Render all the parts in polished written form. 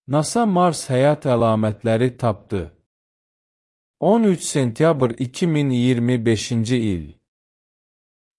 NASA Mars həyat əlamətləri tapdı. 13 sentyabr 2025-ci il.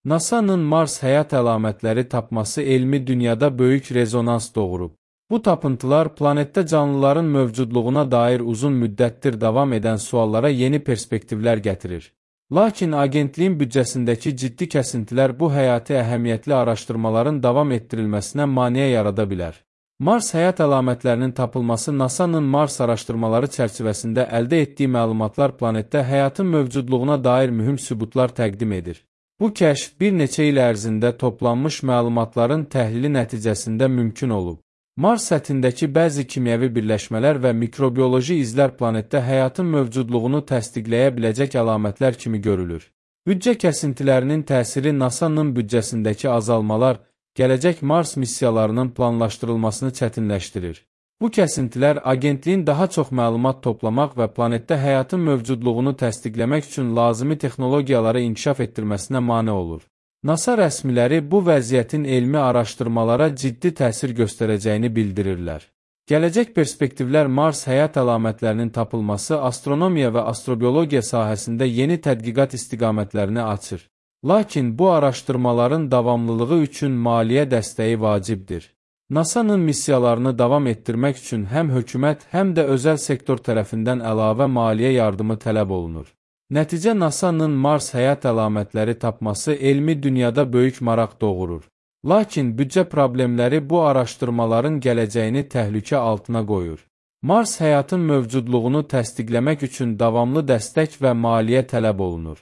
NASA-nın Mars həyat əlamətləri tapması elmi dünyada böyük rezonans doğurub. Bu tapıntılar planetdə canlıların mövcudluğuna dair uzun müddətdir davam edən suallara yeni perspektivlər gətirir. Lakin agentliyin büdcəsindəki ciddi kəsintilər bu həyati əhəmiyyətli araşdırmaların davam etdirilməsinə maneə yarada bilər. Mars həyat əlamətlərinin tapılması NASA-nın Mars araşdırmaları çərçivəsində əldə etdiyi məlumatlar planetdə həyatın mövcudluğuna dair mühüm sübutlar təqdim edir. Bu kəşf bir neçə il ərzində toplanmış məlumatların təhlili nəticəsində mümkün olub. Mars səthindəki bəzi kimyəvi birləşmələr və mikrobioloji izlər planetdə həyatın mövcudluğunu təsdiqləyə biləcək əlamətlər kimi görülür. Büdcə kəsintilərinin təsiri NASA-nın büdcəsindəki azalmalar, gələcək Mars missiyalarının planlaşdırılmasını çətinləşdirir. Bu kəsintilər agentliyin daha çox məlumat toplamaq və planetdə həyatın mövcudluğunu təsdiqləmək üçün lazımi texnologiyaları inkişaf etdirməsinə mane olur. NASA rəsmiləri bu vəziyyətin elmi araşdırmalara ciddi təsir göstərəcəyini bildirirlər. Gələcək perspektivlər Mars həyat əlamətlərinin tapılması astronomiya və astrobiologiya sahəsində yeni tədqiqat istiqamətlərini açır. Lakin bu araşdırmaların davamlılığı üçün maliyyə dəstəyi vacibdir. NASA-nın missiyalarını davam etdirmək üçün həm hökumət, həm də özəl sektor tərəfindən əlavə maliyyə yardımı tələb olunur. Nəticə NASA-nın Mars həyat əlamətləri tapması elmi dünyada böyük maraq doğurur. Lakin büdcə problemləri bu araşdırmaların gələcəyini təhlükə altına qoyur. Mars həyatın mövcudluğunu təsdiqləmək üçün davamlı dəstək və maliyyə tələb olunur.